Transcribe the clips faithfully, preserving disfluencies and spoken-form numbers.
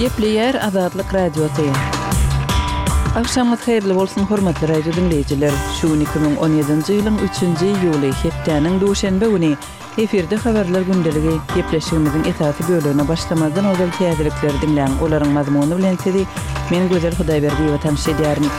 Gepleýär Azatlyk Radiosy. Agşamyňyz haýyrly bolsun, hormatly radio diňleýjiler! Şu gün iki müň on ýedinji ýylyň üçünji iýuly, hepdäniň duşenbe güni. Efirde Habarlar gündeligi. Gepleşigimiziň esasy bölegine başlamazdan ozal täzelikleri diňläň. Olaryň mazmuny bilen sizi men Gözel Hudaýberdiýewa tanyş edýärin.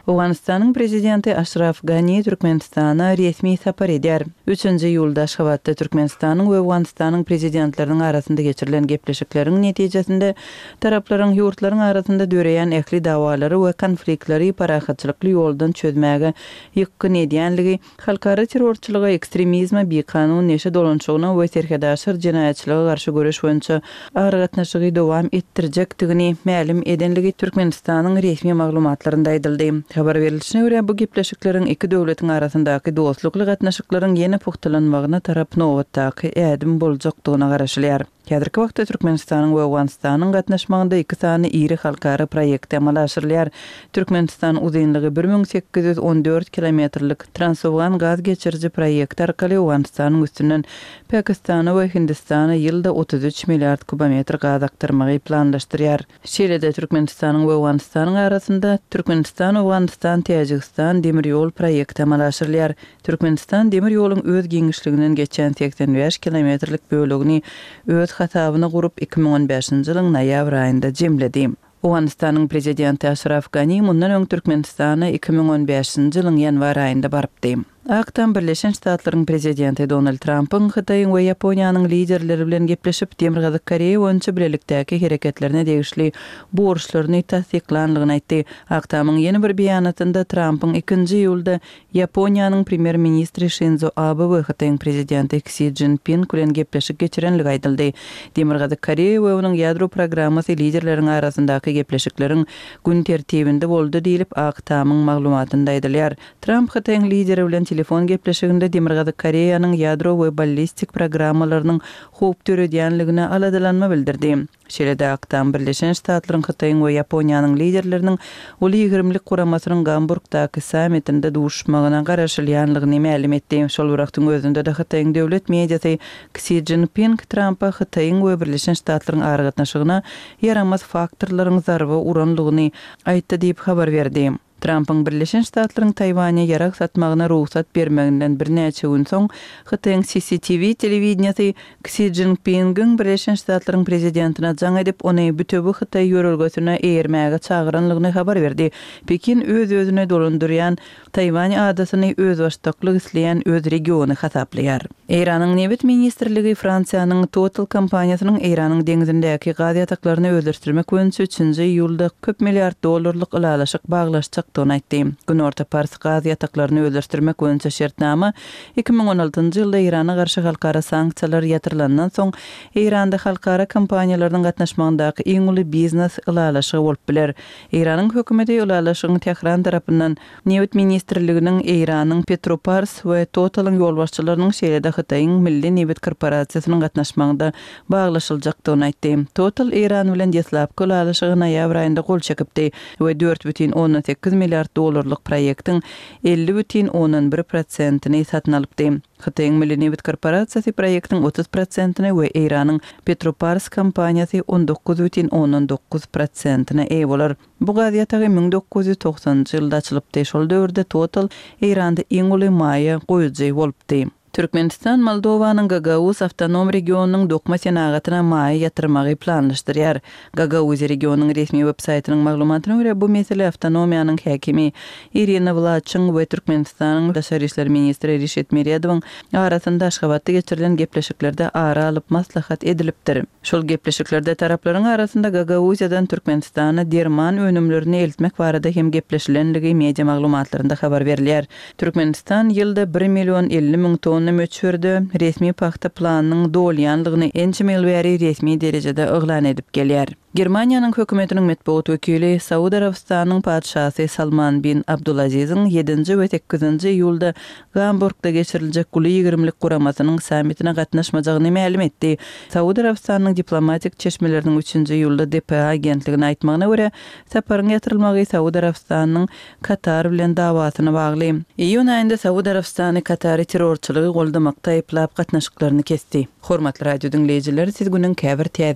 Owganystanyň prezidenti Aşraf Gani Türkmenistana resmi sapar edýär. Üçünji iýulda Aşgabatda Türkmenistanyň we Owganystanyň prezidentleriniň arasynda geçirilen gepleşikleriň netijesinde taraplaryň ýurtlaryň arasynda döreýän ähli dawalary we konfliktleri parahatçylykly ýoldan çözmäge ýykgyn edýänligi, halkara terrorçylyga, ekstremizme, bikanun neşe dolanyşygyna we serhetaşyr jenaýatçylyga garşy göreş boýunça aragatnaşygy dowam etdirjekdigini mälim edenligi Türkmenistanyň resmi maglumatlarynda aýdyldy. Habar berilişine görä, bu gepleşikleriň iki döwletiň arasyndaky dostlukly gatnaşyklaryň ýene pugtalanmagyna tarap nobatdaky ädim boljakdygyna garaşylýar. Häzirki wagtda Türkmenistanyň we Owganystanyň gatnaşmagynda iki sany iri halkara proýekti amala aşyrylýar. Türkmenistan uzynlygy bir müň sekiz ýüz on dört kilometrlik Transowgan gaz geçiriji proýekti arkaly Owganystanyň üstünden Pakistana we Hindistana ýylda otuz üç milliard kubometr gaz akdyrmagy planlaşdyrýar. Şeýle-de Türkmenistanyň we Owganystanyň arasynda Türkmenistan-Owganystan-Täjigistan demir ýol proýekti amala aşyrylýar. Türkmenistan demir ýoluň öz giňişliginden geçýän segsen bäş kilometrlik bölegini öz hasabyna gurup, iki müň on bäşinji ýylyň noýabr aýynda jemledi. Owganystanyň prezidenti Aşraf Gani mundan öň Türkmenistana iki müň on bäşinji ýylyň ýanwar aýynda barypdy. Ak Tam Birleşen Ştatlaryň prezidenti Donald Trampyň Hytaýyň we Ýaponiýanyň liderleri bilen gepleşip, Demirgazyk Koreýa boýunça bilelikdäki hereketlerine degişli borçlaryny tassyklanlygyny aýtdy. Ak Tamyň ýene bir beýanatynda Trampyň ikinji iýulda Ýaponiýanyň premýer-ministri Şinzo Abe we Hytaýyň prezidenti Ksi Szinpin bilen gepleşik geçirenligi aýdyldy. Demirgazyk Koreýa we onuň ýadro programmasy liderleriň arasyndaky gepleşikleriň gün tertibinde boldy diýlip, Ak Tamyň maglumatynda aýdylýar. Tramp Hytaýyň lideri bilen telefon gepleşiginde Demirgazyk Koreýanyň ýadro we ballistik programmalarynyň howp döredýänligine aladalanma bildirdi. Şeýle-de Ak Tam Birleşen Ştatlaryň, Hytaýyň we Ýaponiýanyň liderleriniň Uly ýigrimlik guramasynyň Gamburgdaky sammitinde duşmagyna garaşylýanlygyny mälim etdi. Şol bir wagtyň özünde-de Hytaýyň döwlet mediasy Ksi Szinpin Trampa Hytaýyň we Birleşen Ştatlaryň aragatnaşygyna ýaramaz faktorlaryň zarba uranlygyny aýtdy diýip habar berdi. Trampyň Birleşen Ştatlaryň Taýwanya ýarag satmagyna rugsat bermeginden birnäçe gün soň Hytaýyň C C T V telewideniýasy Ksi Szinpingiň Birleşen Ştatlaryň prezidentine jaň edip, ony bütewi Hytaý ýörelgesine eýermäge çagyranlygyny habar berdi. Pekin öz-özüne dolandyrýan Taýwan adasyny özbaşdaklyk isleýän öz regiony hasaplaýar. Eýranyň nebit ministrligi Fransiýanyň Total kompaniýasynyň Eýranyň deňzindäki gaz ýataklaryny özleşdirmek boýunça üçünji iýulda köp milliard dollarlyk ylalaşyk baglaşjakdygyny aýtdy. Günorta Pars gaz ýataklaryny özleşdirmek boýunça şertnama iki müň on altynjy ýylda Eýrana garşy halkara sanksiýalar ýatyrylandan soň Eýranda halkara kompaniýalarynyň gatnaşmagyndaky iň uly biznes ylalaşygy bolup biler. Eýranyň hökümeti ylalaşygyň Tähran tarapyndan nebit ministrliginiň Eýranyň Petropars we Totalyň ýolbaşçylarynyň şeýle-de Hytaýyň Milli nebit korporasiýasynyň gatnaşmagynda baglaşyljakdygyny aýtdy. Total Eýran bilen deslapky ylalaşygy noýabr aýynda gol çekipdi we dört bütin ondan sekiz milliard dollarlyk proýektiň elli bütin ondan bir prosentini satyn alypdy. Hytaýyň Milli nebit korporasiýasy proýektiň otuz prosentine we Eýranyň Petropars kompaniýasy on dokuz bütin ondan dokuz prosentine eýe bolar. Bu gaz ýatagy müň dokuz ýüz togsanynjy ýylda açylypdy. Şol döwürde Total Eýranda iň uly maýa goýujy bolupdy. Türkmenistan Moldowanyň Gagauz awtonom regionynyň dokma senagatyna maýa ýatyrmagy planlaşdyrýar. Gagauz regionynyň resmi web-saýtynyň maglumatyna görä, bu mesele awtonomiýanyň häkimi Irina Wlaçyň we Türkmenistanyň daşary işler ministri Rişit Meredowyň arasynda Aşgabatda geçirilen gepleşiklerde ara alyp maslahat edilipdir. Şol gepleşiklerde taraplaryň arasynda Gagauziýadan Türkmenistana derman önümlerini eltmek barada hem gepleşilenligi media maglumatlarynda habar berilýär. Türkmenistan ýylda bir million elli müň tonna möçberde resmi pagta planynyň dolýanlygyny ençeme ýyl bäri resmi derejede yglan edip gelýär. Germaniýanyň hökümetiniň metbugat wekili Saud Arabystanyň patyşasy Salman bin Abdulaziziň ýedinji we sekizinji iýulda Gamburgda geçiriljek Uly ýigrimlik guramasynyň sammitine gatnaşmajagyny mälim etdi. Saud Arabystanyň diplomatik çeşmeleriniň üçünji iýulda D P A agentligine aýtmagyna görä, saparyň ýatyrylmagy Saud Arabystanyň Katar bilen dawasyna bagly. Iýun aýynda Saud Arabystany Katary terrorçylygy goldamakda aýyplap gatnaşyklaryny kesdi. Hormatly radio diňleýjiler, siz günüň käbir täze